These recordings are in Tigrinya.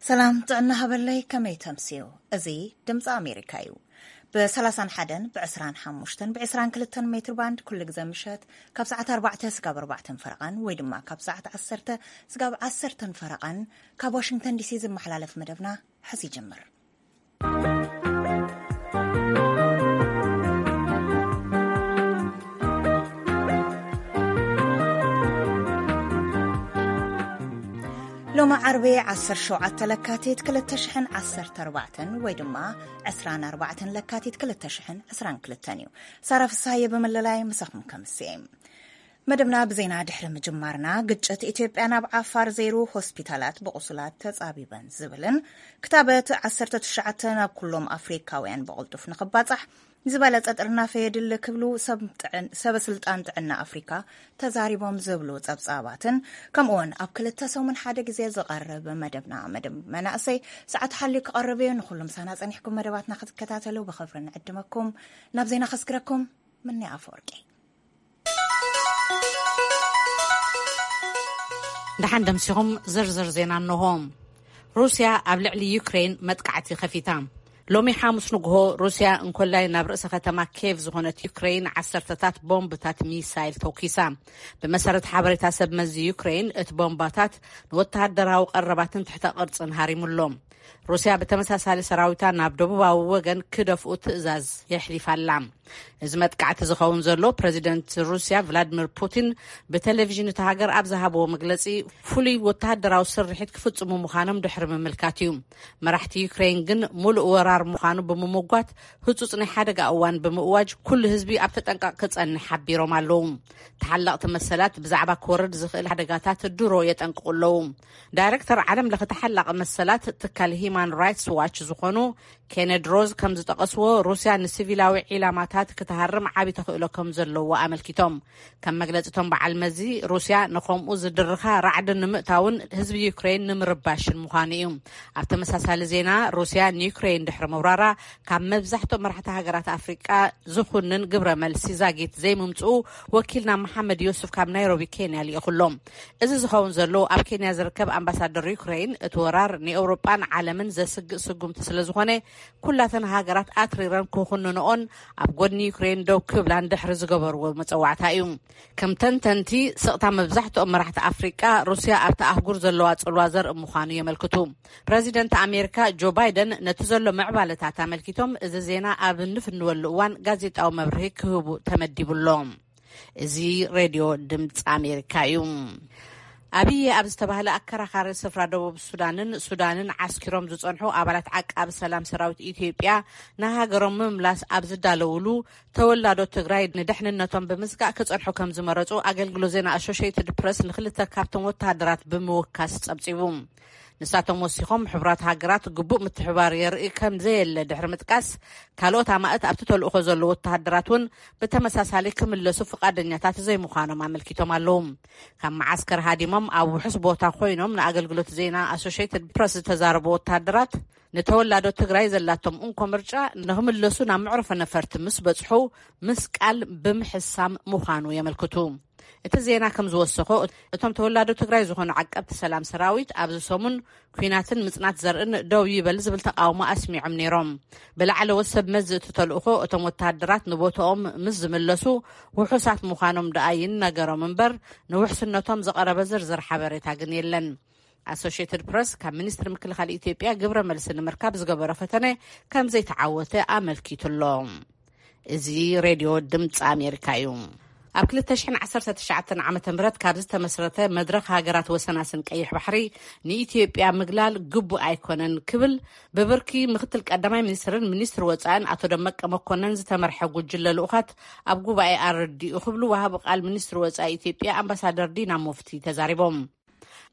ሰላም ጥዕና ሃበለይ፣ ከመይ ተምስዩ? እዚ ድምፂ ኣሜሪካ እዩ። ብ31ን ብ25ን ብ22ን ሜትር ባንድ ኩሉ ግዜ ምሸት ካብ ሰዓት ኣርባዕተ ስጋብ ኣርባዕተን ፈረቓን ወይ ድማ ካብ ሰዓት ዓሰርተ ስጋብ ዓሰርተን ፈረቓን ካብ ዋሽንግተን ዲሲ ዝመሓላለፍ መደብና ሕዚ ይጅምር። ሎሚ ዓርቢ ዓሰርተ ሸውዓተ ለካቲት ክልተ ሽሕን ዓሰርተ ኣርባዕተን ወይ ድማ ዕስራን ኣርባዕተን ለካቲት ክልተ ሽሕን ዕስራን ክልተን እዩ። ሳራ ፍሳየ ብምልላይ ምሳኹም ከምስየ። መደብና ብዜና ድሕሪ ምጅማርና፣ ግጭት ኢትዮጵያ ናብ ዓፋር ዘይሩ ሆስፒታላት ብቑሱላት ተጻቢበን ዝብልን ክታበት ዓሰርተ ትሽዓተ ናብ ኩሎም ኣፍሪካውያን ብቕልጡፍ ንኽባጻሕ ዝበለጸ ጥርናፈ የድሊ ክብሉ ሰብ ጥዕን-፣ ሰበ ስልጣን ጥዕና ኣፍሪካ ተዛሪቦም ዝብሉ ጸብጻባትን፣ ከምኡውን ኣብ ክልተ ሰሙን ሓደ ግዜ ዝቐርብ መደብና፣ መደብ መናእሰይ፣ ሰዓት ሓልዩ ክቐርብ እዩ። ንኹሉ ምሳና ጸኒሕኩም መደባትና ክትከታተሉ ብኽብሪ ንዕድመኩም። ናብ ዜና ከስግረኩም። ምኒ ኣፈወርቂ። ደሓን ደምሲኹም። ዝርዝር ዜና እንሆ። ሩስያ ኣብ ልዕሊ ዩክሬን መጥቃዕቲ ከፊታ። ሎሚ ሓሙስ ንግሆ ሩስያ እንኮላይ ናብ ርእሰ ከተማ ኬቭ ዝኾነት ዩክሬን ዓሰርተታት ቦምብታት ሚሳይል ተኩሳ። ብመሰረት ሓበሬታ ሰብ መዚ ዩክሬን፣ እቲ ቦምባታት ንወተሃደራዊ ቀረባትን ትሕተ ቅርጽን ሃሪሙሎም። ሩስያ ብተመሳሳሊ ሰራዊታ ናብ ደቡባዊ ወገን ክደፍኡ ትእዛዝ የሕሊፋ ኣላ። እዚ መጥቃዕቲ ዝኸውን ዘሎ ፕረዚደንት ሩስያ ቭላድሚር ፑቲን ብቴሌቪዥን እታ ሃገር ኣብ ዝሃብዎ መግለጺ፣ ፍሉይ ወተሃደራዊ ስርሒት ክፍጽሙ ምዃኖም ድሕሪ ምምልካት እዩ። መራሕቲ ዩክሬን ግን፣ ሙሉእ ወራር ምዃኑ ብምምጓት፣ ህጹጽ ናይ ሓደጋ እዋን ብምእዋጅ፣ ኩሉ ህዝቢ ኣብ ተጠንቀቕ ክጸንሕ ሓቢሮም ኣለዉ። ተሓለቕቲ መሰላት ብዛዕባ ክወርድ ዝኽእል ሓደጋታት ድሮ የጠንቅቑ ኣለዉ። ዳይሬክተር ዓለም ለኸ ተሓላቒ መሰላት ትካል ሂማን ራይትስ ዋች ዝኾኑ ኬነድ ሮዝ ከም ዝጠቐስዎ፣ ሩስያ ንሲቪላዊ ዒላማታት ክትሃርም ዓቢ ተኽእሎ ከም ዘለዎ ኣመልኪቶም። ከም መግለጺ እቶም በዓል መዚ፣ ሩስያ ንኸምኡ ዝድርኻ ራዕዲ ንምእታውን ህዝቢ ዩክሬን ንምርባሽን ምዃኑ እዩ። ኣብ ተመሳሳሊ ዜና፣ ሩስያ ንዩክሬን ድሕሪ ምውራራ፣ ካብ መብዛሕትኦም መራሕቲ ሃገራት ኣፍሪቃ ዝኹንን ግብረ መልሲ ዛጊት ዘይምምጽኡ ወኪልና መሓመድ ዮሱፍ ካብ ናይሮቢ ኬንያ ልኢኹሎም። እዚ ዝኸውን ዘሎ፣ ኣብ ኬንያ ዝርከብ ኣምባሳደር ዩክሬን፣ እቲ ወራር ንኤውሮጳን ዓለምን ዘስግእ ስጉምቲ ስለ ዝኾነ፣ ኩላተን ሃገራት ኣትሪረን ክኹንንኦን ኣብ ጎድኒ ዩክሬን ደው ክብላን ድሕሪ ዝገበርዎ መጸዋዕታ እዩ። ከም ተንተንቲ፣ ስቕታ መብዛሕትኦም መራሕቲ ኣፍሪቃ፣ ሩስያ ኣብቲ ኣህጉር ዘለዋ ጽልዋ ዘርኢ ምዃኑ የመልክቱ። ፕረዚደንት ኣሜሪካ ጆ ባይደን ነቲ ዘሎ ምዕባለታት ኣመልኪቶም፣ እዚ ዜና ኣብ እንፍንወሉ እዋን ጋዜጣዊ መብርሂ ክህቡ ተመዲቡ ኣሎ። እዚ ሬድዮ ድምፂ ኣሜሪካ እዩ። ኣብየ ኣብ ዝተባህለ ኣከራኻሪ ስፍራ ደቡብ ሱዳንን ሱዳንን ዓስኪሮም ዝጸንሑ ኣባላት ዓቃቢ ሰላም ሰራዊት ኢትዮጵያ ንሃገሮም ምምላስ ኣብ ዝዳለውሉ፣ ተወላዶ ትግራይ ንድሕንነቶም ብምስጋእ ክጸንሑ ከም ዝመረጹ ኣገልግሎት ዜና ኣሶሽየትድ ፕረስ ንክልተ ካብቶም ወተሃደራት ብምውካስ ጸብጺቡ። ንሳቶም ወሲኾም፣ ሕቡራት ሃገራት ግቡእ ምትሕብባር የርኢ ከም ዘየለ ድሕሪ ምጥቃስ፣ ካልኦት ኣማእት ኣብቲ ተልእኾ ዘለዉ ወተሃደራት እውን ብተመሳሳሊ ክምለሱ ፍቓደኛታት ዘይምዃኖም ኣመልኪቶም ኣለዉ። ካብ መዓስከር ሃዲሞም ኣብ ውሑስ ቦታ ኮይኖም ንኣገልግሎት ዜና ኣሶሽየትድ ፕረስ ዝተዛረቡ ወተሃደራት፣ ንተወላዶ ትግራይ ዘላቶም እንኮ ምርጫ ንኽምለሱ ናብ መዕረፎ ነፈርቲ ምስ በጽሑ ምስቃል ብምሕሳም ምዃኑ የመልክቱ። እቲ ዜና ከም ዝወሰኾ፣ እቶም ተወላዶ ትግራይ ዝኾኑ ዓቀብቲ ሰላም ሰራዊት ኣብዚ ሰሙን ኲናትን ምጽናት ዘርእን ደው ይበል ዝብል ተቃውሞ ኣስሚዖም ነይሮም። ብላዕለዎት ሰብ መዚ እቲ ተልእኾ፣ እቶም ወተሃደራት ንቦታኦም ምስ ዝምለሱ ውሑሳት ምዃኖም ደኣ ይነገሮም እምበር፣ ንውሕስነቶም ዝቐረበ ዝርዝር ሓበሬታ ግን የለን። ኣሶሽየትድ ፕረስ ካብ ሚኒስትሪ ምክልኻል ኢትዮጵያ ግብረ መልሲ ንምርካብ ዝገበሮ ፈተነ ከም ዘይተዓወተ ኣመልኪቱ ኣሎ። እዚ ሬድዮ ድምፂ ኣሜሪካ እዩ። ኣብ ክልተ ሽሕን ዓሰርተ ትሽዓተን ዓመተ ምህረት ካብ ዝተመስረተ መድረኽ ሃገራት ወሰናስን ቀይሕ ባሕሪ ንኢትዮጵያ ምግላል ግቡእ ኣይኮነን ክብል ብብርኪ ምክትል ቀዳማይ ሚኒስትርን ሚኒስትሪ ወፃእን ኣቶ ደመቀ መኮነን ዝተመርሐ ጉጅለ ልኡኻት ኣብ ጉባኤ ኣረዲኡ ክብሉ ወሃቢ ቃል ሚኒስትሪ ወፃኢ ኢትዮጵያ ኣምባሳደር ዲና ሙፍቲ ተዛሪቦም።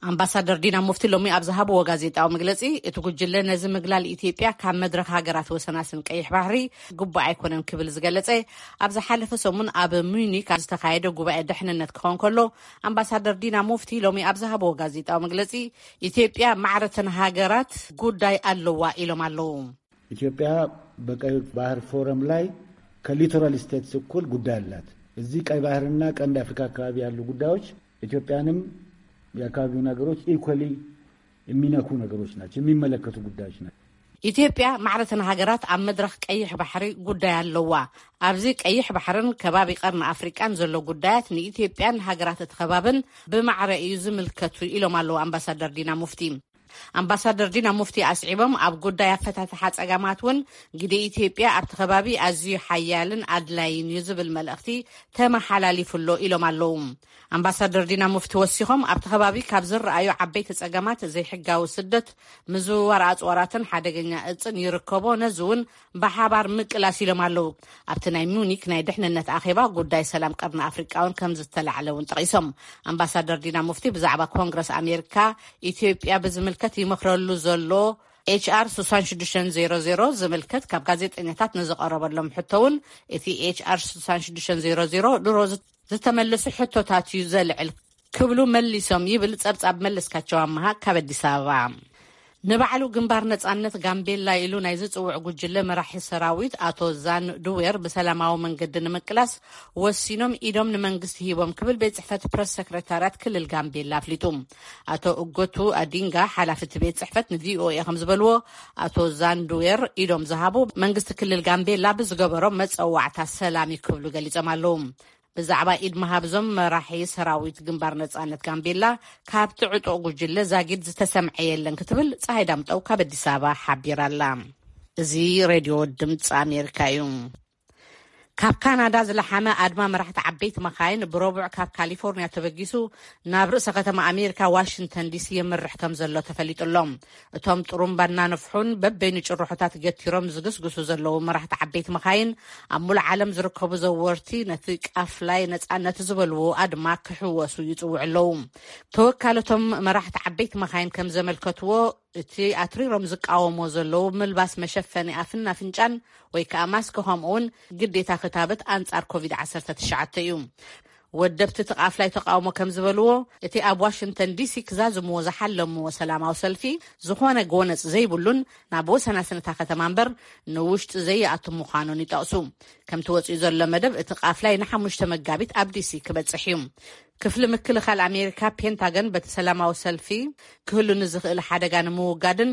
ኣምባሳደር ዲና ሙፍቲ ሎሚ ኣብ ዝሃብዎ ጋዜጣዊ መግለጺ፣ እቲ ጉጅለ ነዚ ምግላል ኢትዮጵያ ካብ መድረኽ ሃገራት ወሰናስን ቀይሕ ባሕሪ ግቡእ ኣይኮነን ክብል ዝገለጸ፣ ኣብ ዝሓለፈ ሰሙን ኣብ ሙኒክ ኣብ ዝተኻየደ ጉባኤ ድሕንነት ክኸውን ከሎ፣ ኣምባሳደር ዲና ሙፍቲ ሎሚ ኣብ ዝሃብዎ ጋዜጣዊ መግለጺ፣ ኢትዮጵያ ማዕረተን ሃገራት ጉዳይ ኣለዋ ኢሎም ኣለዉ። ኢትዮጵያ በቀይ ባህር ፎረም ላይ ከሊቶራል ስቴትስ እኩል ጉዳይ አላት። እዚህ ቀይ ባህርና ቀንድ አፍሪካ አካባቢ ያሉ ጉዳዮች ኢትዮጵያንም የአካባቢውን ሀገሮች ኢኳሊ የሚነኩ ነገሮች ናቸው፣ የሚመለከቱ ጉዳዮች ናቸው። ኢትዮጵያ ማዕረተን ሃገራት ኣብ መድረኽ ቀይሕ ባሕሪ ጉዳይ ኣለዋ። ኣብዚ ቀይሕ ባሕርን ከባቢ ቀርኒ ኣፍሪቃን ዘሎ ጉዳያት ንኢትዮጵያን ሃገራት እቲ ከባብን ብማዕረ እዩ ዝምልከቱ ኢሎም ኣለዉ ኣምባሳደር ዲና ሙፍቲ። ኣምባሳደር ዲና ሙፍቲ ኣስዒቦም ኣብ ጉዳይ ኣፈታትሓ ጸገማት እውን ግደ ኢትዮጵያ ኣብቲ ከባቢ ኣዝዩ ሓያልን ኣድላይን እዩ ዝብል መልእኽቲ ተመሓላሊፉ ኣሎ ኢሎም ኣለዉ። ኣምባሳደር ዲና ሙፍቲ ወሲኾም ኣብቲ ከባቢ ካብ ዝረኣዩ ዓበይቲ ጸገማት ዘይሕጋዊ ስደት፣ ምዝውዋር ኣጽዋራትን ሓደገኛ እጽን ይርከቦ፣ ነዚ እውን ብሓባር ምቅላስ ኢሎም ኣለዉ። ኣብቲ ናይ ሙኒክ ናይ ድሕንነት ኣኼባ ጉዳይ ሰላም ቀርኒ ኣፍሪቃ እውን ከም ዝተላዕለ እውን ጠቒሶም። ኣምባሳደር ዲና ሙፍቲ ብዛዕባ ኮንግረስ ኣሜሪካ ኢትዮጵያ ብዝምልከት ይመኽረሉ ዘሎ ኤች ኣር ሽዱሽተ ዜሮ ዜሮ ዝምልከት ካብ ጋዜጠኛታት ንዝቐረበሎም ሕቶ እውን እቲ ኤች ኣር ሽዱሽተ ዜሮ ዜሮ ድሮ ዝተመለሱ ሕቶታት እዩ ዘልዕል ክብሉ መሊሶም ይብል ጸብጻብ መለስካቸው ኣመሃ ካብ ኣዲስ ኣበባ። ንባዕሉ ግንባር ነጻነት ጋምቤላ ኢሉ ናይ ዝጽውዕ ጉጅለ መራሒ ሰራዊት ኣቶ ዛን ዱዌር ብሰላማዊ መንገዲ ንምቅላስ ወሲኖም ኢዶም ንመንግስቲ ሂቦም ክብል ቤት ጽሕፈት ፕረስ ሰክረታርያት ክልል ጋምቤላ ኣፍሊጡ። ኣቶ እጎቱ ኣዲንጋ ሓላፊ እቲ ቤት ጽሕፈት ንቪኦኤ ከም ዝበልዎ፣ ኣቶ ዛን ዱዌር ኢዶም ዝሃቡ መንግስቲ ክልል ጋምቤላ ብዝገበሮ መጸዋዕታ ሰላም እዩ ክብሉ ገሊጾም ኣለዉ። ብዛዕባ ኢድ ምሃብ እዞም መራሒ ሰራዊት ግንባር ነጻነት ጋምቤላ ካብቲ ዕጡቕ ጉጅለ ዛጊድ ዝተሰምዐ የለን ክትብል ፀሃይ ዳምጠው ካብ ኣዲስ ኣበባ ሓቢራ ኣላ። እዚ ሬድዮ ድምፂ ኣሜሪካ እዩ። ካብ ካናዳ ዝለሓመ ኣድማ መራሕቲ ዓበይቲ መኻይን ብረቡዕ ካብ ካሊፎርኒያ ተበጊሱ ናብ ርእሰ ከተማ ኣሜሪካ ዋሽንግተን ዲሲ የምርሕ ከም ዘሎ ተፈሊጡ ኣሎ። እቶም ጥሩምባ እናነፍሑን በበይኑ ጭርሖታት ገቲሮም ዝግስግሱ ዘለዉ መራሕቲ ዓበይቲ መኻይን ኣብ ሙሉእ ዓለም ዝርከቡ ዘወርቲ ነቲ ቃፍላይ ነጻነት ዝበልዎ ኣድማ ክሕወሱ ይጽውዑ ኣለዉ። ተወካለቶም መራሕቲ ዓበይቲ መኻይን ከም ዘመልከትዎ፣ እቲ ኣትሪሮም ዝቃወሞ ዘለዉ ምልባስ መሸፈኒ ኣፍን ኣፍንጫን ወይ ከኣ ማስክ፣ ከምኡውን ግዴታ ክታበት ኣንጻር ኮቪድ ዓሰርተ ትሽዓተ እዩ። ወደብቲ እቲ ቃፍላይ ተቃውሞ ከም ዝበልዎ፣ እቲ ኣብ ዋሽንግተን ዲሲ ክዛዝምዎ ዝሓለምዎ ሰላማዊ ሰልፊ ዝኾነ ጎነጽ ዘይብሉን ናብ ወሰናስን እታ ከተማ እምበር ንውሽጢ ዘይኣቱ ምዃኑን ይጠቕሱ። ከምቲ ወጺኡ ዘሎ መደብ፣ እቲ ቃፍላይ ንሓሙሽተ መጋቢት ኣብ ዲሲ ክበጽሕ እዩ። ክፍሊ ምክልኻል ኣሜሪካ ፔንታገን በቲ ሰላማዊ ሰልፊ ክህሉ ንዝኽእል ሓደጋ ንምውጋድን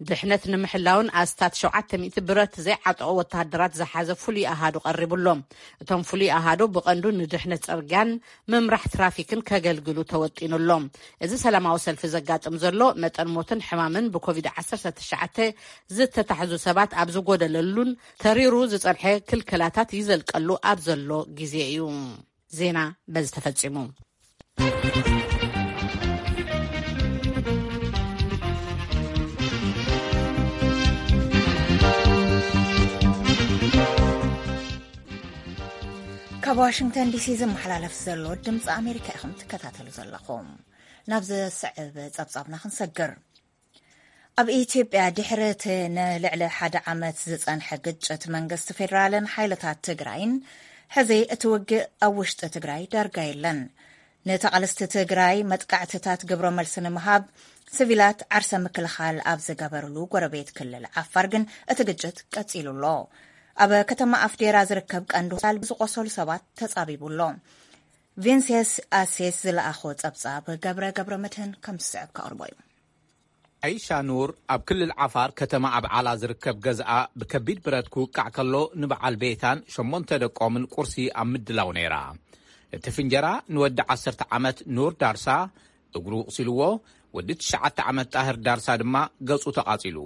ድሕነት ንምሕላውን ኣስታት ሸውዓተ ሚእቲ ብረት ዘይዓጠቑ ወተሃደራት ዝሓዘ ፍሉይ ኣሃዱ ቀሪቡ ኣሎ። እቶም ፍሉይ ኣሃዱ ብቐንዱ ንድሕነት ጽርግያን ምምራሕ ትራፊክን ከገልግሉ ተወጢኑ ኣሎ። እዚ ሰላማዊ ሰልፊ ዘጋጥም ዘሎ መጠን ሞትን ሕማምን ብኮቪድ ዓሰርተ ትሽዓተ ዝተታሕዙ ሰባት ኣብ ዝጎደለሉን ተሪሩ ዝጸንሐ ክልከላታት ይዘልቀሉ ኣብ ዘሎ ግዜ እዩ። ዜና በዚ ተፈጺሙ። ካብ ዋሽንግተን ዲሲ ዝመሓላለፍ ዘሎ ድምፂ ኣሜሪካ ኢኹም ትከታተሉ ዘለኹም። ናብ ዘስዕብ ጸብጻብና ክንሰግር። ኣብ ኢትዮጵያ ድሕሪ እቲ ንልዕሊ ሓደ ዓመት ዝጸንሐ ግጭት መንግስቲ ፌደራልን ሓይልታት ትግራይን፣ ሕዚ እቲ ውግእ ኣብ ውሽጢ ትግራይ ዳርጋ የለን። ንተቓለስቲ ትግራይ መጥቃዕትታት ግብረ መልሲ ንምሃብ ሲቪላት ዓርሰ ምክልኻል ኣብ ዝገበርሉ ጎረቤት ክልል ዓፋር ግን እቲ ግጭት ቀጺሉ ኣሎ። ኣብ ከተማ ኣፍዴራ ዝርከብ ቀንዲ ሆስፒታል ብዝቆሰሉ ሰባት ተጻቢቡ ኣሎ። ቪንሴስ ኣሴስ ዝለኣኾ ጸብጻብ ገብረ ገብረ መድህን ከም ዝስዕብ ከቕርቦ እዩ። ዓይሻ ኑር ኣብ ክልል ዓፋር ከተማ ኣብዓላ ዝርከብ ገዝኣ ብከቢድ ብረት ክውቃዕ ከሎ፣ ንበዓል ቤታን ሸሞንተ ደቆምን ቁርሲ ኣብ ምድላው ነይራ። እቲ ፍንጀራ ንወዲ ዓሰርተ ዓመት ኑር ዳርሳ እግሩ ቁሲልዎ፣ ወዲ ትሽዓተ ዓመት ጣህር ዳርሳ ድማ ገጹ ተቓጺሉ።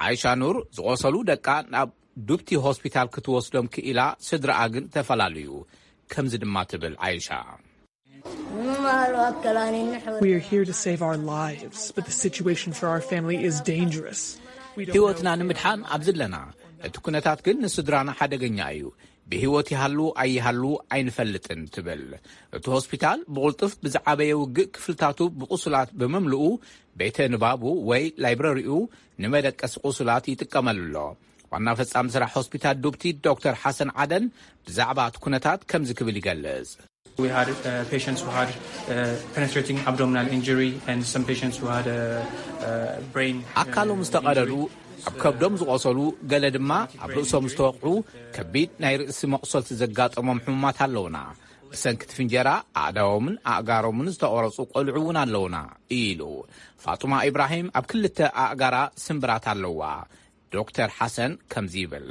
ዓይሻ ኑር ዝቖሰሉ ደቃ ናብ ዱብቲ ሆስፒታል ክትወስዶም ክኢላ፣ ስድራኣ ግን ተፈላልዩ። ከምዚ ድማ ትብል ዓይሻ። We are here to save our lives, but the situation for our family is dangerous. We don't ህይወትና know. ንምድሓን ኣብዚ ኣለና። እቲ ኩነታት ግን ንስድራና ሓደገኛ እዩ። ብህይወት ይሃሉ ኣይሃሉ ኣይንፈልጥን ትብል። እቲ ሆስፒታል ብቕልጡፍ ብዝዓበየ ውግእ ክፍልታቱ ብቑሱላት ብምምልኡ፣ ቤተ ንባቡ ወይ ላይብረሪኡ ንመደቀሲ ቁሱላት ይጥቀመሉ ኣሎ። ዋና ፈጻሚ ስራሕ ሆስፒታል ዱብቲ ዶክተር ሓሰን ዓደን ብዛዕባ እቲ ኩነታት ከምዚ ክብል ይገልጽ። We had uh, patients who had uh, penetrating abdominal injury and some patients who had a, uh brain. Uh, ኣካሎም ዝተቐደዱ፣ ኣብ ከብዶም ዝቖሰሉ፣ ገለ ድማ ኣብ ርእሶም ዝተወቕዑ ከቢድ ናይ ርእሲ መቑሰልቲ ዘጋጠሞም ሕሙማት ኣለውና። ብሰንኪ እቲ ፍንጀራ ኣእዳዎምን ኣእጋሮምን ዝተቖረጹ ቆልዑ እውን ኣለውና ኢሉ። ፋጡማ ኢብራሂም ኣብ ክልተ ኣእጋራ ስምብራት ኣለዋ። ዶክተር ሓሰን ከምዚ ይብል።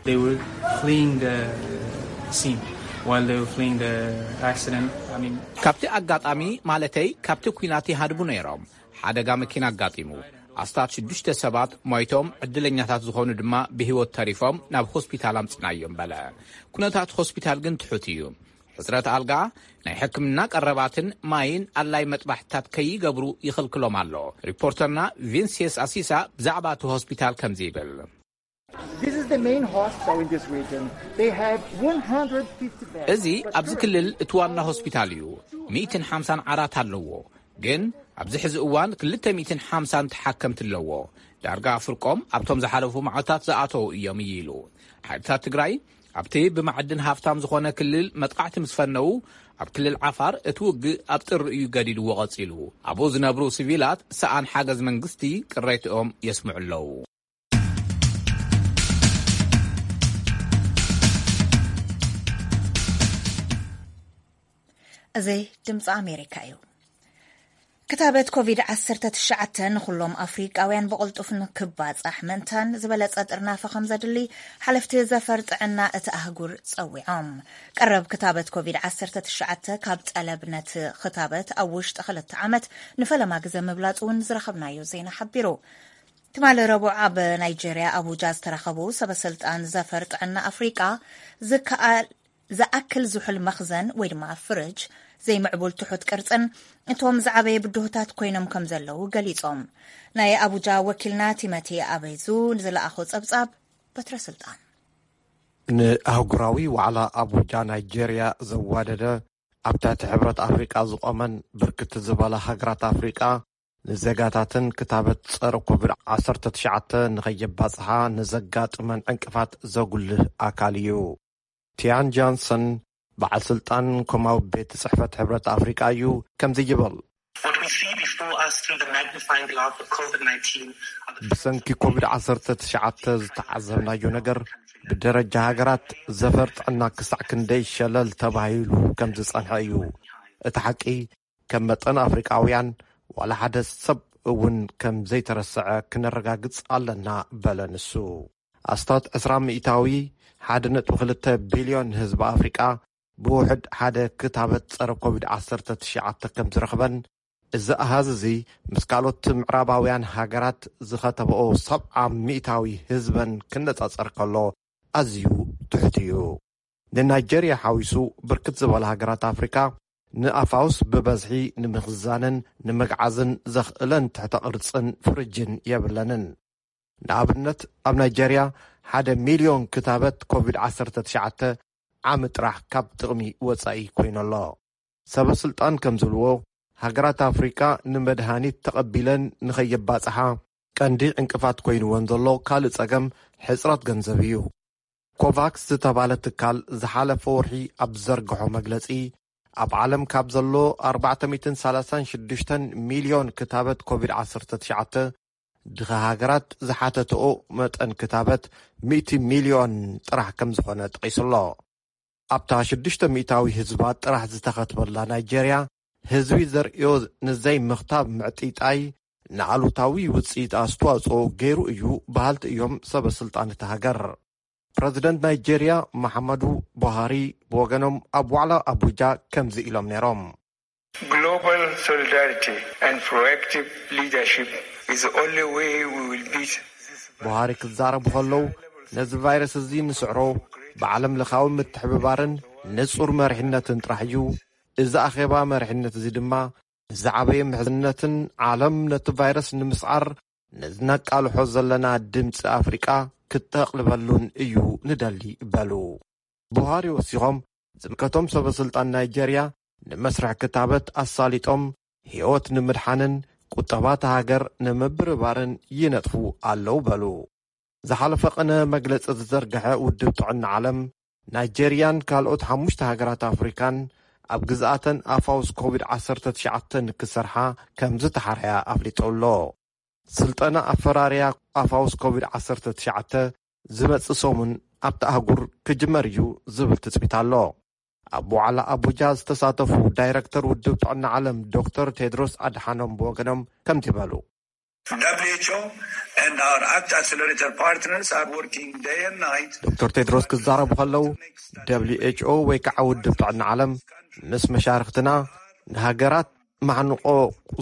They were fleeing the scene while they were fleeing the accident. I mean, ካብቲ ኣጋጣሚ ማለተይ ካብቲ ኲናት ይሃድቡ ነይሮም። ሓደጋ መኪና ኣጋጢሙ። ኣስታት ሽዱሽተ ሰባት ሞይቶም፣ ዕድለኛታት ዝኾኑ ድማ ብህይወት ተሪፎም ናብ ሆስፒታል ኣምጽናዮም በለ። ኩነታት ሆስፒታል ግን ትሑት እዩ። ሕጽረት ኣልጋ፣ ናይ ሕክምና ቀረባትን ማይን ኣላይ መጥባሕትታት ከይገብሩ ይኽልክሎም ኣሎ። ሪፖርተርና ቪንሲየስ ኣሲሳ ብዛዕባ እቲ ሆስፒታል ከምዚ ይብል። This is the main hospital in this region. They have one hundred fifty beds. እዚ ኣብዚ ክልል እቲ ዋና ሆስፒታል እዩ። ሚእትን ሓምሳን ዓራት ኣለዎ፣ ግን ኣብዚ ሕዚ እዋን ክልተ ሚእትን ሓምሳን ተሓከምቲ ኣለዎ። ዳርጋ ፍርቆም ኣብቶም ዝሓለፉ መዓልታት ዝኣተዉ እዮም ኢሉ። ሓይልታት ትግራይ ኣብቲ ብማዕድን ሃፍታም ዝኾነ ክልል መጥቃዕቲ ምስ ፈነዉ፣ ኣብ ክልል ዓፋር እቲ ውግእ ኣብ ጥሪ እዩ ገዲድዎ ቀጺሉ። ኣብኡ ዝነብሩ ሲቪላት ሰኣን ሓገዝ መንግስቲ ቅሬትኦም የስምዑ ኣለዉ። እዚ ድምፂ ኣሜሪካ እዩ። ክታበት ኮቪድ ዓሰርተ ትሽዓተ ንኹሎም ኣፍሪቃውያን ብቕልጡፍ ንክባፃሕ ምእንታን ዝበለፀ ጥርናፈ ከም ዘድሊ ሓለፍቲ ዘፈር ጥዕና እቲ ኣህጉር ፀዊዖም። ቀረብ ክታበት ኮቪድ ዓሰርተ ትሽዓተ ካብ ጠለብ ነቲ ክታበት ኣብ ውሽጢ ክልተ ዓመት ንፈለማ ግዘ ምብላፅ እውን ዝረኸብናዮ ዜና ሓቢሩ። ትማሊ ረቡዕ ኣብ ናይጄርያ ኣቡጃ ዝተረኸቡ ሰበስልጣን ዘፈር ጥዕና ኣፍሪቃ ዝከኣል ዝኣክል ዝሑል መኽዘን ወይ ድማ ፍርጅ፣ ዘይምዕቡል ትሑት ቅርጽን እቶም ዝዓበየ ብድሆታት ኮይኖም ከም ዘለዉ ገሊጾም። ናይ ኣቡጃ ወኪልና ቲመቲ ኣበይዙ ንዝለኣኾ ጸብጻብ በትረ ስልጣን። ንኣህጉራዊ ዋዕላ ኣቡጃ ናይጄርያ ዘዋደደ ኣብ ትሕቲ ሕብረት ኣፍሪቃ ዝቖመን ብርክት ዝበላ ሃገራት ኣፍሪቃ ንዜጋታትን ክታበት ጸረ ኮቪድ ዓሰርተ ትሽዓተ ንኸየባጽሓ ንዘጋጥመን ዕንቅፋት ዘጉልህ ኣካል እዩ። ቲያን ጃንሰን በዓል ስልጣን ኮማዊ ቤት ጽሕፈት ሕብረት ኣፍሪቃ እዩ። ከምዚ ይብል። What we see before us through the magnifying glass of COVID nineteen are the ብሰንኪ ኮቪድ ዓሰርተ ትሽዓተ ዝተዓዘብናዮ ነገር ብደረጃ ሃገራት ዘፈር ጥዕና ክሳዕ ክንደይ ሸለል ተባሂሉ ከም ዝጸንሐ እዩ። እቲ ሓቂ ከም መጠን ኣፍሪቃውያን ዋላ ሓደ ሰብ እውን ከም ዘይተረስዐ ክነረጋግጽ ኣለና በለ ንሱ። ኣስታት ዕስራ ሚእታዊ ሓደ ነጥቢ ክልተ ቢልዮን ህዝቢ ኣፍሪቃ ብውሕድ ሓደ ክታበት ጸረ ኮቪድ ዓሰርተ ትሽዓተ ከም ዝረኽበን እዚ ኣሃዝ እዚ ምስ ካልኦት ምዕራባውያን ሃገራት ዝኸተበኦ ሰብዓ ሚእታዊ ህዝበን ክነጻጸር ከሎ ኣዝዩ ትሑት እዩ። ንናይጀርያ ሓዊሱ ብርክት ዝበላ ሃገራት ኣፍሪካ ንኣፋውስ ብበዝሒ ንምኽዛንን ንምግዓዝን ዘኽእለን ትሕተ ቅርጽን ፍርጅን የብለንን። ንኣብነት ኣብ ናይጀርያ ሓደ ሚልዮን ክታበት ኮቪድ ዓሰርተ ትሽዓተ ዓሚ ጥራሕ ካብ ጥቕሚ ወጻኢ ኮይኑ ኣሎ። ሰበ ስልጣን ከም ዝብልዎ ሃገራት ኣፍሪካ ንመድሃኒት ተቐቢለን ንኸየባፅሓ ቀንዲ ዕንቅፋት ኮይንወን ዘሎ ካልእ ጸገም ሕፅረት ገንዘብ እዩ። ኮቫክስ ዝተባለ ትካል ዝሓለፈ ወርሒ ኣብ ዝዘርግሖ መግለጺ ኣብ ዓለም ካብ ዘሎ ኣርባዕተ ሚእትን ሰላሳን ሽዱሽተን ሚልዮን ክታበት ኮቪድ ዓሰርተ ትሽዓተ ድኻ ሃገራት ዝሓተትኦ መጠን ክታበት ሚእቲ ሚልዮን ጥራሕ ከም ዝኾነ ጠቒሱ ኣሎ። ኣብታ ሽዱሽተ ሚእታዊ ህዝባ ጥራሕ ዝተኸትበላ ናይጀርያ ህዝቢ ዘርእዮ ንዘይ ምኽታብ ምዕጢጣይ ንኣሉታዊ ውፅኢት ኣስተዋፅኦ ገይሩ እዩ በሃልቲ እዮም ሰበ ስልጣን እቲ ሃገር። ፕረዚደንት ናይጀርያ መሓመዱ ቡሃሪ ብወገኖም ኣብ ዋዕላ ኣቡጃ ከምዚ ኢሎም ነይሮም። Global solidarity and proactive leadership is the only way we will beat this ቡሃሪ ክዛረቡ ከለዉ ነዚ ቫይረስ እዚ ንስዕሮ ብዓለም ለኻዊ ምትሕብባርን ንጹር መሪሕነትን ጥራሕ እዩ። እዚ ኣኼባ መሪሕነት እዚ ድማ ንዝዓበየ ምሕዝነትን ዓለም ነቲ ቫይረስ ንምስዓር ነዚ ነቃልሖ ዘለና ድምፂ ኣፍሪቃ ክተቕልበሉን እዩ ንደሊ በሉ። ቡሃሪ ወሲኾም ዝምልከቶም ሰበ ስልጣን ናይጀርያ ንመስርሕ ክታበት ኣሳሊጦም ህይወት ንምድሓንን ቁጠባ እታ ሃገር ንምብርባርን ይነጥፉ ኣለዉ በሉ። ዝሓለፈ ቅነ መግለጺ ዝዘርግሐ ውድብ ጥዕና ዓለም ናይጀርያን ካልኦት ሓሙሽተ ሃገራት ኣፍሪካን ኣብ ግዝኣተን ኣፋውስ ኮቪድ ዓሰርተ ትሽዓተ ንክሰርሓ ከም ዝተሓርያ ኣፍሊጡ ኣሎ። ስልጠና ኣፈራርያ ኣፋውስ ኮቪድ ዓሰርተ ትሽዓተ ዝመጽእ ሰሙን ኣብቲ ኣህጉር ክጅመር እዩ ዝብል ትጽቢት ኣሎ። ኣብ ዋዕላ ኣቡጃ ዝተሳተፉ ዳይረክተር ውድብ ጥዕና ዓለም ዶክተር ቴድሮስ ኣድሓኖም ብወገኖም ከምቲ በሉ። W H O and our act accelerator partners are working day and night. ዶክተር ቴድሮስ ክዛረቡ ከለዉ፣ ደብሊው ኤች ኦ ወይ ከዓ ውድብ ጥዕና ዓለም ምስ መሻርክትና ንሃገራት ማዕንቆ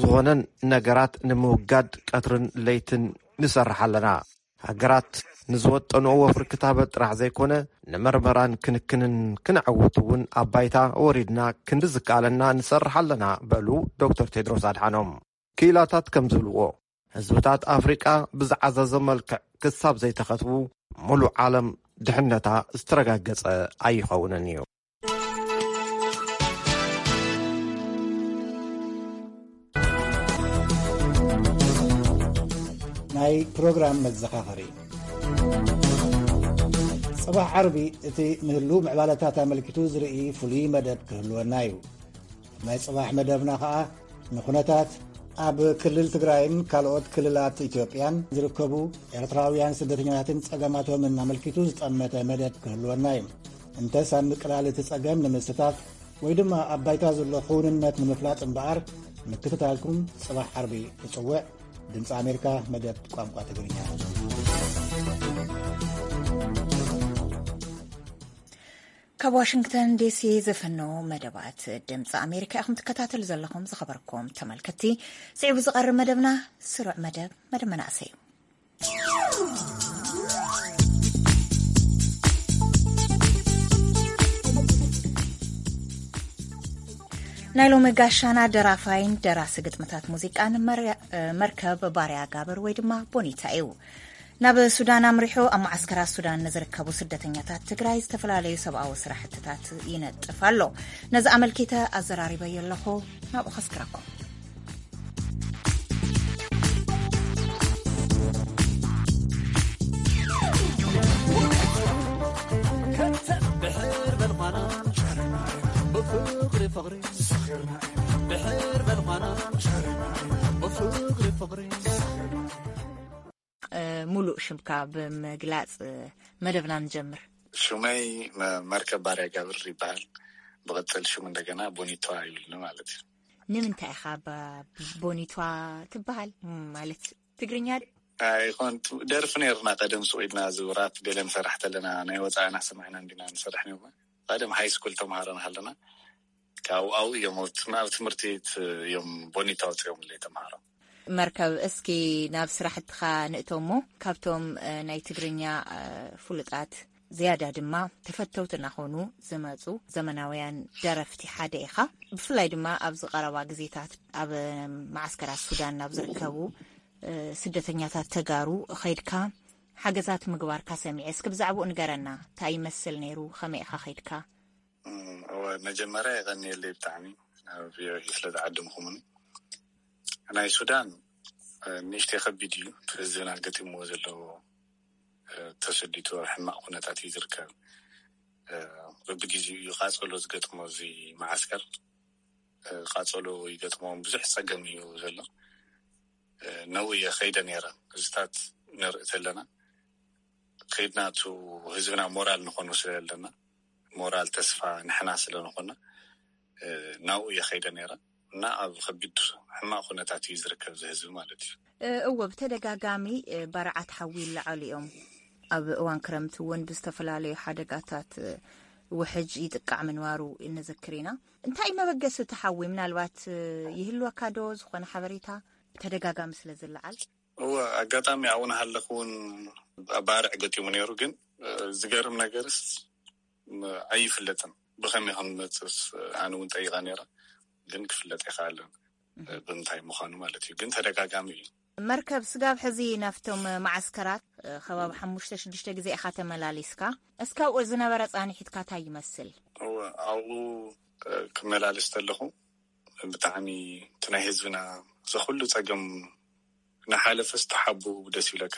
ዝኾነን ነገራት ንምውጋድ ቀትርን ለይትን ንሰርሕ ኣለና። ሃገራት ንዝወጠንኦ ወፍሪ ክታበት ጥራሕ ዘይኮነ፣ ንመርመራን ክንክንን ክነዕውት እውን ኣብ ባይታ ወሪድና ክንዲ ዝከኣለና ንሰርሕ ኣለና፣ በሉ ዶክተር ቴድሮስ ኣድሓኖም። ክኢላታት ከም ዝብልዎ፣ ህዝብታት ኣፍሪቃ ብዝዓዘዘ መልክዕ ክሳብ ዘይተኸትቡ፣ ሙሉእ ዓለም ድሕነታ ዝተረጋገጸ ኣይኸውንን እዩ። ናይ ፕሮግራም መዘኻኸሪ። ጽባሕ ዓርቢ እቲ ንህሉ ምዕባለታት ኣመልኪቱ ዝርኢ ፍሉይ መደብ ክህልወና እዩ። ናይ ጽባሕ መደብና ኸኣ ንኹነታት ኣብ ክልል ትግራይን ካልኦት ክልላት ኢትዮጵያን ዝርከቡ ኤርትራውያን ስደተኛታትን ጸገማቶምን ኣመልኪቱ ዝጠመተ መደብ ክህልወና እዩ። እንተስ ኣብ ምቅላል እቲ ጸገም ንምስታፍ ወይ ድማ ኣብ ባይታ ዘሎ ክውንነት ንምፍላጥ እምበኣር፣ ምክትታልኩም ጽባሕ ዓርቢ እጽውዕ። ድምፂ ኣሜሪካ፣ መደብ ቋንቋ ትግርኛ። ካብ ዋሽንግተን ዲሲ ዝፍኖ መደባት ድምፂ ኣሜሪካ ኢኹም ትከታተሉ ዘለኹም። ዝኸበርኩም ተመልከትቲ፣ ስዒቡ ዝቐርብ መደብና ስሩዕ መደብ፣ መደብ መናእሰይ እዩ። ናይ ሎሚ ጋሻና ደራፋይን ደራሲ ግጥምታት ሙዚቃን መር-፣ መርከብ ባርያ ጋብር ወይ ድማ ቦኒታ እዩ። ናብ ሱዳን ኣምሪሑ ኣብ መዓስከራት ሱዳን ንዝርከቡ ስደተኛታት ትግራይ ዝተፈላለዩ ሰብኣዊ ስራሕትታት ይነጥፍ ኣሎ። ነዚ ኣመልኪተ ኣዘራሪበዮ ኣለኹ። ናብኡ ከስክረኩም። እ፣ ሙሉእ ሽምካ ብምግላጽ፣ እ፣ መደብና ንጀምር። ሽመይ መ-፣ መርከብ ባርያ ጋብር ይበሃል። ብቕጽል ሽሙ እንደገና ቦኒቷ ይብልኒ ማለት እዩ። ንምንታይ ኢኻ ባ-፣ ቦኒቷ ትበሃል? ማለት ትግርኛ ድ-? ኣይኮን፣ ደርፊ ነይርና ቀደም ሱቕ ኢልና፣ እዚ ራፕ ገለ ንሰርሕ ተለና ናይ ወፃእና ሰማዕና እንዲና ንሰርሕ ነይርና። ቀደም ሃይ ስኩል ተምሃሮ እናሃለና ካብኡ ኣብኡ እዮም፣ ኣብ ትም-፣ ኣብ ትምህርቲ ት-፣ እዮም ቦኒታ ወፂኦምለይ ተምሃሮ። መርከብ፣ እስኪ ናብ ስራሕትኻ ንእቶ እሞ፣ ካብቶም፣ እ፣ ናይ ትግርኛ፣ እ፣ ፍሉጣት ዝያዳ ድማ ተፈተውቲ እናኾኑ ዝመፁ ዘመናውያን ደረፍቲ ሓደ ኢኻ። ብፍላይ ድማ ኣብዚ ቀረባ ግዜታት ኣብ መዓስከራት ሱዳን ናብ ዝርከቡ፣ እ፣ ስደተኛታት ተጋሩ ኸይድካ ሓገዛት ምግባርካ ሰሚዐ። እስኪ ብዛዕባኡ ንገረና። እንታይ ይመስል ነይሩ? ከመይ ኢኻ ኸይድካ? እም፣ እወ፣ መጀመርያ የቐንየለይ ብጣዕሚ፣ ናብ ቪ ኦ ኤ ስለ ዝዓደምኩምኒ። ናይ ሱዳን፣ እ፣ ንእሽተይ ከቢድ እዩ፣ እቲ ህዝብና ገጢምዎ ዘሎ፣ እ፣ ተሰዲቱ ኣብ ሕማቕ ኩነታት እዩ ዝርከብ። እ፣ በብግዜኡ እዩ ቃጸሎ ዝገጥሞ እዚ መዓስከር። እ፣ ቃጸሎ ይገጥሞም፣ ብዙሕ ጸገም እዩ ዘሎ። እ፣ ነው እየ ኸይደ ነይረ። እዚታት ንርኢ ተለና፣ ከይድና እቲ ህዝብና ሞራል ንኾኖ ስለ ዘለና፣ ሞራል ተስፋ ንሕና ስለ ንኾና፣ እ፣ ናብኡ እየ ከይደ ነይረ እና ኣብ ከቢድ ሕማቕ ኩነታት እዩ ዝርከብ እዚ ህዝቢ ማለት እዩ። እ፣ እወ፣ ብተደጋጋሚ፣ እ፣ ባርዓት ሓዊ ይለዓሉ እዮም። ኣብ እዋን ክረምቲ እውን ብዝተፈላለዩ ሓደጋታት፣ እ፣ ውሕጅ ይጥቃዕ ምንባሩ እንዝክር ኢና። እንታይ እዩ መበገሲ እቲ ሓዊ? ምናልባት፣ እ፣ ይህልወካ ዶ ዝኾነ ሓበሬታ? ብተደጋጋሚ ስለ ዝለዓል። እወ፣ ኣጋጣሚ ኣብኡ እናሃለኹ እውን ባርዕ ገጢሙ ነይሩ፣ ግን፣ እ፣ ዝገርም ነገርስ፣ ም-፣ ኣይፍለጥን። ብኸመይ ከም ዝመጽእስ ኣነ እውን ጠይቐ ነይረ፣ ግን ክፍለጥ ኣይከኣለን። እህ። ብምንታይ ምዃኑ ማለት እዩ። ግን ተደጋጋሚ እዩ። መርከብ ስጋብ ሕዚ ናብቶም መዓስከራት፣ እ፣ ከባቢ ሓሙሽተ ሽዱሽተ ግዜ ኢኻ ተመላሊስካ። እስካብ ዝነበረ ጻንሒትካ እንታይ ይመስል? እወ፣ ኣብኡ፣ እ፣ ክመላለስ ተለኹ ብጣዕሚ እቲ ናይ ህዝብና እዚ ኩሉ ጸገም እናሓለፈስ ተሓቡ ደስ ይብለካ።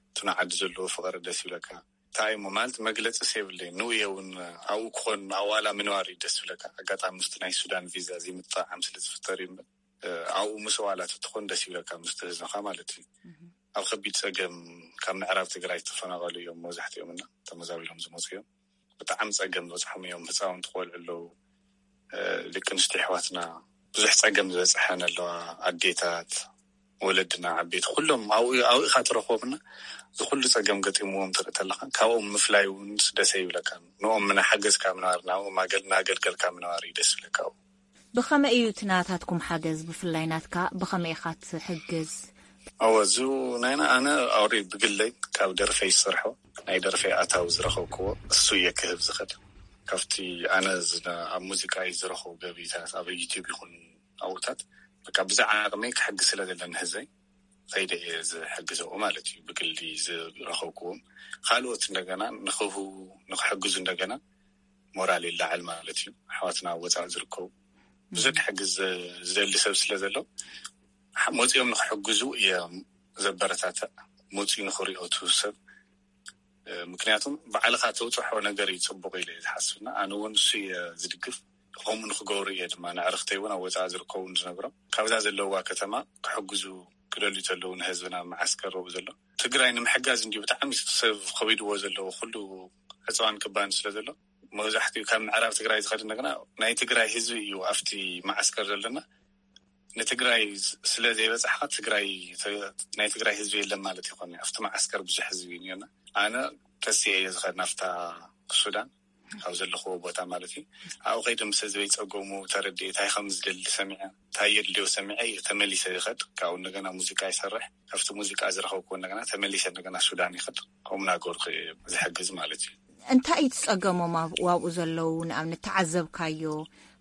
እቲ ንዓዲ ዘለዎ ፍቕሪ ደስ ይብለካ። እንታይ እሞ ማለት መግለጺ የብለይን። ንውየ እውን ኣብኡ ክኾን ኣብኡ ዋላ ምንባር እዩ ደስ ዝብለካ። ኣጋጣሚ ምስቲ ናይ ሱዳን ቪዛ ዘይምጥዕዓም ስለ ዝፍጠር እዩ እምበር፣ እ፣ ኣብኡ ምስ ዋላ ተትኾን ደስ ይብለካ ምስቲ ህዝብኻ ማለት እዩ። እህ። ኣብ ከቢድ ጸገም ካብ ምዕራብ ትግራይ ዝተፈናቐሉ እዮም መብዛሕትኦም እና ተመዛቢሎም ዝመፁ እዮም። ብጣዕሚ ጸገም ዝበጽሖም እዮም። ህፃውንቲ ቆልዑ ኣለዉ፣ ደቂ ኣንስትዮ ኣሕዋትና ብዙሕ ጸገም ዝበጽሐን ኣለዋ። ኣዴታት፣ ወለድና፣ ዓበይቲ ኩሎም ኣብኡ ኣብኡ ኢኻ ትረኽቦምና። እዚ ኩሉ ጸገም ገጢምዎም ትርኢ ተለኻ ካብኦም ምፍላይ እውን ደሰ ይብለካ። ንኦም ምና ሓገዝካ ምንባር ናብኦም ኣገል- እናገልገልካ ምንባር እዩ ደስ ይብለካ። ኣብኡ ብኸመይ እዩ እቲ ናታትኩም ሓገዝ? ብፍላይ ናትካ ብኸመይ ኢኻ ትሕግዝ? ኣወ፣ እዚ ናይና ኣነ ኣውሪ ብግለይ ካብ ደርፈይ ዝሰርሖ ናይ ደርፈይ ኣታዊ ዝረኸብክዎ እሱ እየ ክህብ ዝኽእል። ካብቲ ኣነ ዝነ- ኣብ ሙዚቃ እዩ ዝረኸቡ ገቢታት ኣብ ዩቲዩብ ይኹን ኣብኡታት በቃ ብዛዕባ ዓቕመይ ክሕግዝ ስለ ዘለኒ ህዝበይ ከይደ እየ ዝሕግዘኡ ማለት እዩ። ብግሊ ዝረኸብክዎም ካልኦት እንደገና ንክህቡ ንክሕግዙ እንደገና ሞራል ይላዓል ማለት እዩ። ኣሕዋትና ኣብ ወፃእ ዝርከቡ ብዙሕ ክሕግዝ ዝደሊ ሰብ ስለ ዘሎ ሓ- መፂኦም ንክሕግዙ እየ ዘበረታትዕ። መፂኡ ንክሪኦ እቲ ሰብ ምክንያቱም ባዕልኻ ተውፅሖ ነገር እዩ ፅቡቅ ኢለ እየ ዝሓስብና ኣነ እውን እሱ እየ ዝድግፍ። ከምኡ ንክገብሩ እየ ድማ ንዕርክተይ እውን ኣብ ወፃእ ዝርከቡ ዝነግሮም ካብዛ ዘለዋ ከተማ ክሕግዙ ክደልዩ ተለዉ ንህዝብና መዓስከር ርኡ ዘሎ ትግራይ ንምሕጋዝ እንዲዩ ብጣዕሚ ሰብ ከቢድዎ ዘለዎ ኩሉ ዕፅዋን ክባን ስለ ዘሎ መብዛሕትኡ ካብ ምዕራብ ትግራይ ዝኸድ እንደገና ናይ ትግራይ ህዝቢ እዩ ኣብቲ መዓስከር ዘለና። ንትግራይ ስለ ዘይበፃሕካ ትግራይ ናይ ትግራይ ህዝቢ የለን ማለት ይኮን ኣብቲ መዓስከር ብዙሕ ህዝቢ እዩና። ኣነ ተስየ እየ ዝኸድ ናፍታ ሱዳን ካብ ዘለኽዎ ቦታ ማለት እዩ። ኣብኡ ከይደ ምስ ህዝበይ ፀገሙ ተረዲኤ እንታይ ከም ዝደሊ ሰሚዐ እንታይ የድልዮ ሰሚዐ እየ ተመሊሰ ይኸድ ካብኡ እንደገና ሙዚቃ ይሰርሕ ካብቲ ሙዚቃ ዝረኸብኩዎ እንደገና ተመሊሰ እንደገና ሱዳን ይኸድ ከምኡ ናገርኩ ዝሕግዝ ማለት እዩ። እንታይ እዩ ትጸገሞም ኣብኡ ዘለዉ ንኣብነት ተዓዘብካዮ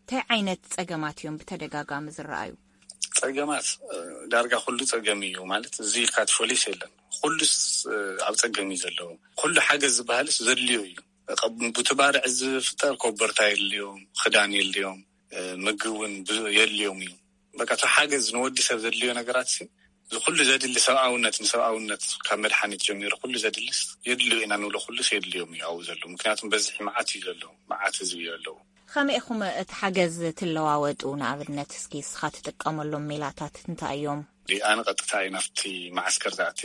እንታይ ዓይነት ጸገማት እዮም ብተደጋጋሚ ዝረኣዩ? ጸገማት ዳርጋ ኩሉ ጸገም እዩ ማለት እዚ ኢልካ ትፈሊስ የለን። ኩሉስ ኣብ ጸገም እዩ ዘለዉ። ኩሉ ሓገዝ ዝበሃልስ ዘድልዮ እዩ። ብቲ ባርዕ ዝፍጠር ኮበርታ የድልዮም፣ ክዳን የድልዮም፣ ምግቢ እውን የድልዮም እዩ። በቃ እቲ ሓገዝ ንወዲ ሰብ ዘድልዮ ነገራት እዚ ኩሉ ዘድሊ ሰብኣውነት ንሰብኣውነት ካብ መድሓኒት ጀሚሩ ኩሉ ዘድልስ የድልዮ ኢና ንብሎ ኩሉስ የድልዮም እዩ ኣብኡ ዘሎ ምክንያቱም በዝሒ መዓት እዩ ዘሎ። መዓት ህዝቢ እዩ ኣለዉ። ከመይ ኢኹም እቲ ሓገዝ ትለዋወጡ? ንኣብነት እስኪ እስኻ ትጥቀመሎም ሜላታት እንታይ እዮም? ኣነ ቀጥታ እዩ ናብቲ መዓስከር ዝኣቲ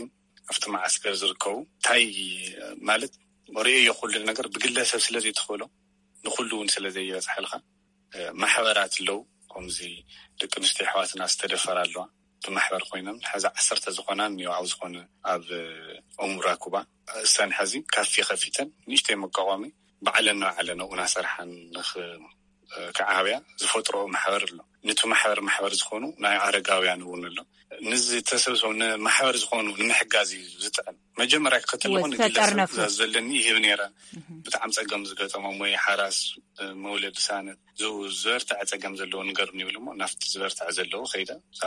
ኣብቲ መዓስከር ዝርከቡ እንታይ ማለት ርእዮ ኩሉ ነገር ብግለሰብ ስለ ዘይትኽእሎ ንኩሉ እውን ስለ ዘይበፅሐልካ ማሕበራት ኣለዉ። ከምዚ ደቂ ኣንስትዮ ኣሕዋትና ዝተደፈራ ኣለዋ ብማሕበር ኮይነን ሕዚ ዓሰርተ ዝኾና እኒኦ ኣብ ዝኾነ ኣብ ኦምራኩባ እሰን ሕዚ ካፌ ከፊተን ንእሽተይ መቋቋሚ ባዕለን ንባዕለን ኣብኡ እናሰርሓን ንክ ክዓብያ ዝፈጥሮ ማሕበር ኣሎ። ነቲ ማሕበር ማሕበር ዝኾኑ ናይ ኣረጋውያን እውን ኣሎ። ንዝተሰብሰቡ ንማሕበር ዝኾኑ ንምሕጋዝ እዩ ዝጥዕም። መጀመርያ ክኸተል እወ፣ ዝኾነ ዝፈጠር ግለሰብ ነፍስ። ትእዛዝ ዘለኒ ይህብ ነይረ። ብጣዕሚ ጸገም ዝገጠሞም ወይ ሓራስ መውለድ ሳነት ዝ- ዝበርትዐ ጸገም ዘለዎ ንገሩኒ ይብል እሞ ናብቲ ዝበርትዐ ዘለዎ ከይደ እዛ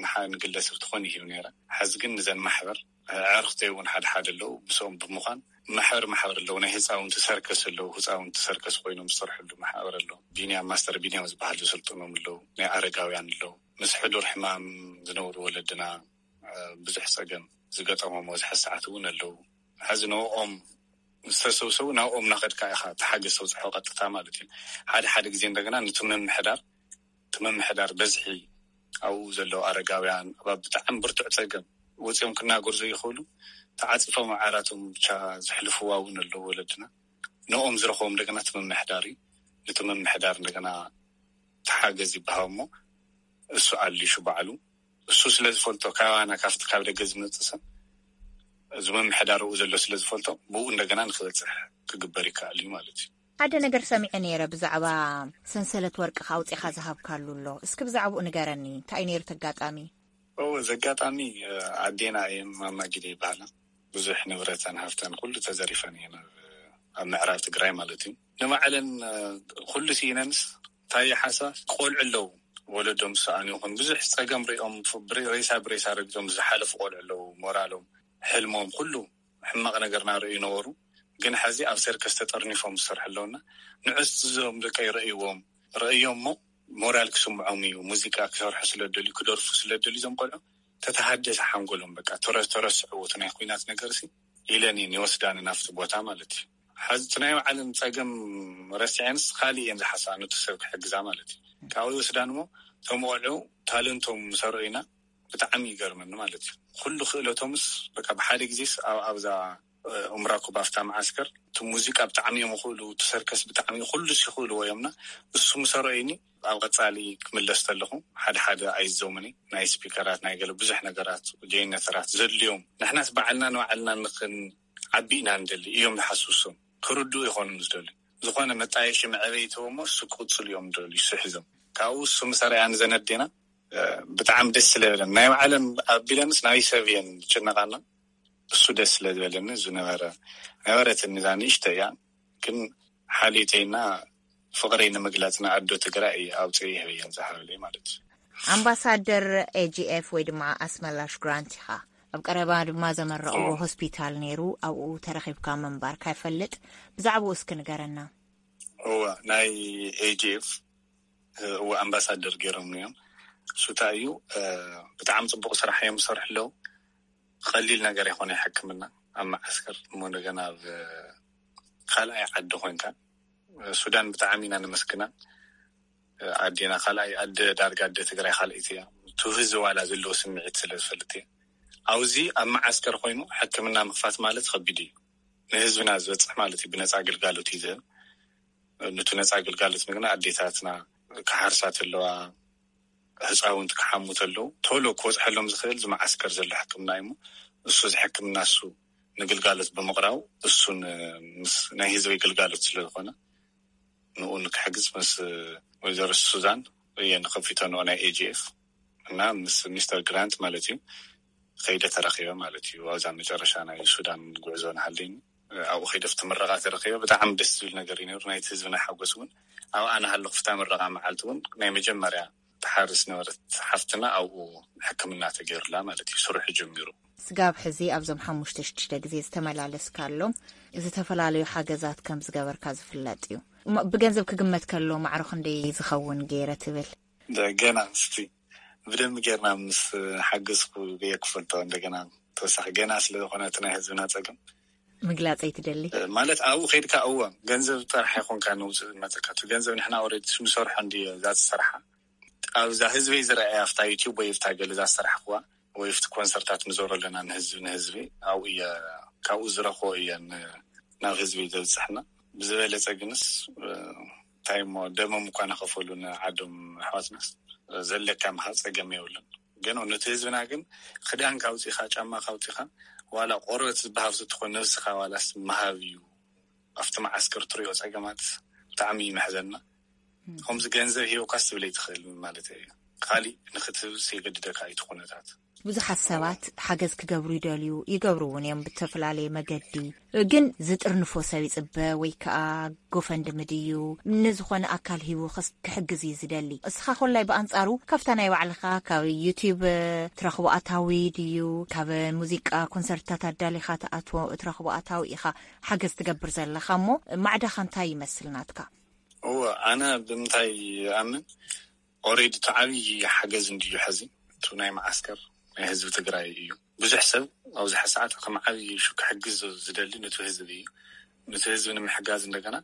ንሓ- ንግለሰብ ትኾን ይህብ ነይረ። ሕዚ ግን ንዘን ማሕበር ኣዕርክተይ እውን ሓደ ሓደ ኣለዉ ምስኦም ብምዃን ማሕበር ማሕበር ኣለዉ ናይ ህፃውንቲ ሰርከስ ኣለዉ ህፃውንቲ ሰርከስ ኮይኖም ዝሰርሕሉ ማሕበር ኣለዉ። ቢንያም ማስተር ቢንያም ዝበሃል ዝስልጥኖም ኣለዉ። ናይ ኣረጋውያን ኣለዉ ምስ ሕዱር ሕማም ዝነብሩ ወለድና ብዙሕ ጸገም ዝገጠሞም ኣብዚ ሰዓት እውን ኣለዉ። ሕዚ ንኦም ዝተሰብሰቡ ናብኦም ናኸድካ ኢኻ ተሓገዝ ተብፅሖ ቀጥታ ማለት እዩ። ሓደ ሓደ ግዜ እንደገና ነቲ ምምሕዳር እቲ ምምሕዳር በዝሒ ኣብኡ ዘለዉ ኣረጋውያን ኣብ ብጣዕሚ ብርቱዕ ጸገም ወፂኦም ክናገሩ ዘይኽእሉ ተዓፂፎም ዓራቶም ብቻ ዝሕልፍዋ እውን ኣለዉ ወለድና። ንኦም ዝረኽቦም እንደገና እቲ ምምሕዳር እዩ። ነቲ ምምሕዳር እንደገና ተሓገዝ ይበሃው እሞ እሱ ኣሊሹ ባዕሉ እሱ ስለ ዝፈልጦ ካባና ካብቲ ካብ ደገ ዝመፅእ ሰብ እዚ ምምሕዳር ኣብኡ ዘሎ ስለ ዝፈልጦ ብኡ እንደገና ንክበፅሕ ክግበር ይከኣል እዩ ማለት እዩ። ሓደ ነገር ሰሚዐ ነይረ ብዛዕባ ሰንሰለት ወርቅኻ ኣውፂኻ ዝሃብካሉ ኣሎ። እስኪ ብዛዕባኡ ንገረኒ። እንታይ እዩ ነይሩ እቲ ኣጋጣሚ? ኦ፣ እዚ ኣጋጣሚ ኣዴና እየን ማማ ጊደ ይበሃላ። ብዙሕ ንብረተን ሃፍተን ኩሉ ተዘሪፈን እየን ኣብ ኣብ ምዕራብ ትግራይ ማለት እዩ። ንባዕለን ኩሉ ስኢነንስ እንታይ ሓሳብ ቆልዑ ኣለዉ ወለዶም ዝሰኣኑ ይኹን ብዙሕ ፀገም ሪኦም ሬሳ ብሬሳ ረግዞም ዝሓለፉ ቆልዑ ኣለዉ። ሞራሎም ሕልሞም ኩሉ ሕማቕ ነገር ናርእዩ ነበሩ። ግን ሕዚ ኣብ ሰርከስ ተጠርኒፎም ዝሰርሑ ኣለውና ንዕስ እዞም ደቀ ይረእይዎም ረእዮም ሞ ሞራል ክስምዖም እዩ። ሙዚቃ ክሰርሑ ስለ ደልዩ ክደርፉ ስለ ደልዩ እዞም ቆልዑ ተተሃደሰ ሓንጎሎም በቃ ተረ- ተረስዕዎ እቲ ናይ ኩናት ነገር ሲ ኢለን እየን ይወስዳኒ ናብቲ ቦታ ማለት እዩ። ሓዚ እቲ ናይ ባዕለን ፀገም ረሲዐንስ ካሊእ እየን ዝሓስባ ነቲ ሰብ ክሕግዛ ማለት እዩ። ካብኡ ይወስዳን እሞ እቶም ቆልዑ ታለንቶም ምስ ኣርኦይና ብጣዕሚ ይገርመኒ ማለት እዩ። ኩሉ ክእለቶምስ በቃ ብሓደ ግዜስ ኣብ ኣብዛ ኡምራኩ ባፍታ መዓስከር እቲ ሙዚቃ ብጣዕሚ እዮም ይኽእሉ፣ እቲ ሰርከስ ብጣዕሚ ኩሉ ይኽእልዎ እዮምና። እሱ ምሰረዩኒ ኣብ ቀጻሊ ክምለስ ተለኹ ሓደ ሓደ ኣይዘውምኒ ናይ ስፒከራት ናይ ገለ ብዙሕ ነገራት ጀነተራት ዘድልዮም ንሕናስ ባዕልና ንባዕልና ንኽን ዓቢ ኢና ንደሊ እዮም ዝሓስቡ እሶም። ክርድኡ ይኾኑ ዝደልዩ ዝኾነ መጣየሺ መዕበይ ተወሞ እሱ ክቕጽሉ እዮም ዝደልዩ እሱ ሒዞም። ካብኡ እሱ ምሰረያ ንዘነዴና ብጣዕሚ ደስ ስለበለን ናይ ባዕለን ኣቢለንስ ናይ ሰብ እየን ዝጭነቃና። እሱ ደስ ስለ ዝበለኒ ዝነበረ ነበረትኒ እዛ ንእሽቶ እያ። ግን ሓልዮተይና ፍቕረይ ንምግላጽ ንኣዶ ትግራይ እየ ኣውፅእ ይህበየን ዝሃበለይ ማለት እዩ። ኣምባሳደር ኤጂኤፍ ወይ ድማ ኣስመላሽ ግራንት ኢኻ። ኣብ ቀረባ ድማ ዘመረቕዎ ሆስፒታል ነይሩ፣ ኣብኡ ተረኺብካ ምንባርካ ይፈልጥ። ብዛዕባኡ እስኪ ንገረና። እወ፣ ናይ ኤጂኤፍ እወ ኣምባሳደር ገይሮም እዮም። እሱ እንታይ እዩ፣ ብጣዕሚ ፅቡቅ ስራሕ እዮም ዝሰርሑ ኣለዉ። ቀሊል ነገር ይኮነ ሕክምና ኣብ መዓስከር እሞ እንደገና ኣብ ካልኣይ ዓዲ ኮንካ። ሱዳን ብጣዕሚ ኢና ነመስግና። ኣዴና ካልኣይ ኣደ ዳርጋ ኣደ ትግራይ ካልኣይቲ እያ። ትውህዚ ዋላ ዘለዎ ስምዒት ስለ ዝፈልጥ እየ። ኣብዚ ኣብ መዓስከር ኮይኑ ሕክምና ምኽፋት ማለት ከቢድ እዩ። ንህዝብና ዝበፅሕ ማለት እዩ። ብነፃ ግልጋሎት እዩ ዝህብ። ነቲ ነፃ ግልጋሎት ንግና ኣዴታትና ክሓርሳ ተለዋ ህፃውንቲ ክሓሙ ተለዉ ቶሎ ክወፅሐሎም ዝኽእል ዝመዓስከር ዘሎ ሕክምና እዩ። እሱ እዚ ሕክምና እሱ ንግልጋሎት ብምቕራቡ እሱን ምስ ናይ ህዝበይ ግልጋሎት ስለ ዝኾነ ንኡ ንክሕግዝ ምስ ወይዘሮ ሱዛን እየ ንከፊቶ ንኦ ናይ ኤጂኤፍ እና ምስ ሚስተር ግራንት ማለት እዩ ከይደ ተረኺበ ማለት እዩ። ኣብዛ መጨረሻ ናይ ሱዳን ጉዕዞ ንሃለኒ ኣብኡ ከይደ ፍቲ ምረቓ ተረኺበ። ብጣዕሚ ደስ ዝብል ነገር እዩ ነሩ። ናይቲ ህዝብና ሓጎስ እውን ኣብኣ ንሃለኹ ፍታ ምረቓ መዓልቲ እውን ናይ መጀመርያ ተሓርስ ነበረት ሓፍትና ኣብኡ ሕክምና ተገይሩላ ማለት እዩ። ስርሑ ጀሚሩ። ስጋብ ሕዚ ኣብዞም ሓሙሽተ ሽዱሽተ ግዜ ዝተመላለስካሎም ዝተፈላለዩ ሓገዛት ከም ዝገበርካ ዝፍለጥ እዩ። እሞ ብገንዘብ ክግመት ከሎ ማዕሮ ክንደይ ዝኸውን ገይረ ትብል? ገና ምስቲ ብደንቢ ጌርና ምስ ሓገዝኩ ብየ ክፈልጦ። እንደገና ተወሳኺ ገና ስለ ዝኾነ እቲ ናይ ህዝብና ፀገም ምግላፅ ኣይትደሊ። ማለት ኣብኡ ከይድካ እወ ገንዘብ ጥራሕ ኣይኮንካ ንውፅእ ዝመፀካ። እቲ ገንዘብ ንሕና ኦልሬዲ ንሰርሖ እንዲ እዛ ዝሰርሓ ኣብዛ ህዝበይ ዝረኣያ ኣብታ ዩቲዩብ ወይ ኣብታ ገለ እዛ ዝሰራሕክዋ ወይ ኣብቲ ኮንሰርታት ንዞሮ ኣለና ንህዝቢ ንህዝቢ ኣብኡ እየ ካብኡ ዝረኽቦ እየ ናብ ህዝቢ ዘብፅሕና። ብዝበለፀ ግንስ እንታይ እሞ ደሞም እኳ ናኸፈሉ ንዓዶም ኣሕዋትናስ ዘለካ ምሃብ ፀገም የብሉን። ግን ነቲ ህዝብና ግን ክዳን ካውፂኻ ጫማ ካውፂኻ ዋላ ቆርበት ዝበሃብ ዝትኾን ነብስኻ ዋላስ ምሃብ እዩ። ኣብቲ መዓስከር ትሪኦ ፀገማት ብጣዕሚ ይመሕዘና። ከምዚ ገንዘብ ሂበኳስ ትብል ኣይትኽእል ማለት እዩ። ካሊእ ንክትህብስ የገድደካ እዩ እቲ ኩነታት። ብዙሓት ሰባት ሓገዝ ክገብሩ ይደልዩ ይገብሩ እውን እዮም ብተፈላለየ መገዲ። ግን ዝጥርንፎ ሰብ ይፅበ ወይ ከዓ ጎፈንድሚ ድዩ ንዝኾነ ኣካል ሂቡ ክሕግዝ እዩ ዝደሊ። እስኻ ኮላይ ብኣንፃሩ ካብታ ናይ ባዕልኻ ካብ ዩቲብ ትረኽቦ ኣታዊ ድዩ ካብ ሙዚቃ ኮንሰርትታት ኣዳሊኻ ትኣትዎ ትረኽቦ ኣታዊ ኢኻ ሓገዝ ትገብር ዘለኻ እሞ ማዕዳኻ እንታይ ይመስል ናትካ? እወ ኣነ ብምንታይ ይኣምን ኦሬዲ እቲ ዓብዪ ሓገዝ እንድዩ ሐዚ እቲ ናይ መዓስከር ናይ ህዝቢ ትግራይ እዩ። ብዙሕ ሰብ ኣብዚ ሰዓት ከም ዓብዪ ክሕግዝ ዝደሊ ነቲ ህዝቢ እዩ። ነቲ ህዝቢ ንምሕጋዝ እንደገና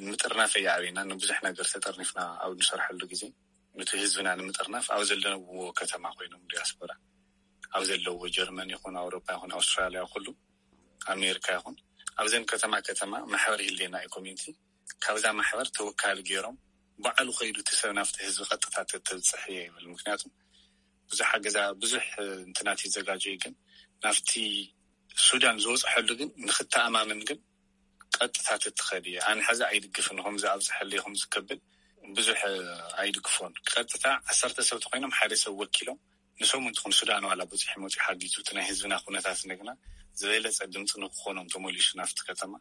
ንምጥርናፍ እያ ኣበይና ንብዙሕ ነገር ተጠርኒፍና ኣብ ንሰርሐሉ ግዜ ነቲ ህዝብና ንምጥርናፍ ኣብ ዘለውዎ ከተማ ኮይኖም ዲያስፖራ ኣብ ዘለዎ ጀርመን ይኹን ኣውሮፓ ይኹን ኣውስትራልያ ኩሉ ኣሜሪካ ይኹን ኣብዘን ከተማ ከተማ ማሕበር ይህልየና እዩ ኮሚኒቲ ካብዛ ማሕበር ተወካሊ ገይሮም ባዕሉ ከይዱ እቲ ሰብ ናብቲ ህዝቢ ቀጥታ ተተብፅሕ እየ ይብል። ምክንያቱ ብዙሕ ሓገዛ ብዙሕ እንትናት ይዘጋጀ እዩ፣ ግን ናብቲ ሱዳን ዝወፅሐሉ ግን ንክተኣማምን ግን ቀጥታ ተትኸድ እየ። ኣነ ሕዚ ኣይድግፍን ከምዚ ኣብፅሐለይ ከምዚ ከብል ብዙሕ ኣይድግፎን። ቀጥታ ዓሰርተ ሰብ ተኮይኖም ሓደ ሰብ ወኪሎም ንሶም እንትኹን ሱዳን ዋላ በፂሑ መፂኡ ሓጊዙ እቲ ናይ ህዝብና ኩነታት እንደገና ዝበለፀ ድምፂ ንክኾኖም ተመሊሱ ናብቲ ከተማ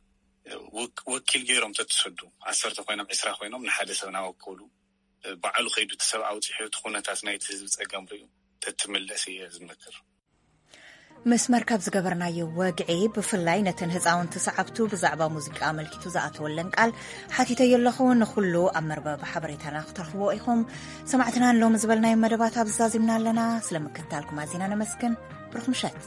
ወኪል ገይሮም ተትሰዱ ዓሰርተ ኮይኖም ዕስራ ኮይኖም ንሓደ ሰብ ናወከሉ ባዕሉ ከይዱ እቲ ሰብ ኣውፂሑ እቲ ኩነታት ናይቲ ህዝቢ ፀገም ሪኡ ተትምለስ እየ ዝመክር። ምስ መርከብ ዝገበርናዮ ወግዒ ብፍላይ ነተን ህፃውንቲ ሰዓብቱ ብዛዕባ ሙዚቃ ኣመልኪቱ ዝኣተወለን ቃል ሓቲተዮ ኣለኹ። ንኹሉ ኣብ መርበብ ሓበሬታና ክትረኽብዎ ኢኹም። ሰማዕትና ንሎሚ ዝበልናዮ መደባት ኣብዚ ዛዚምና ኣለና። ስለ ምክትታልኩም ኣዚና ነመስግን። ብሩኽ ምሸት።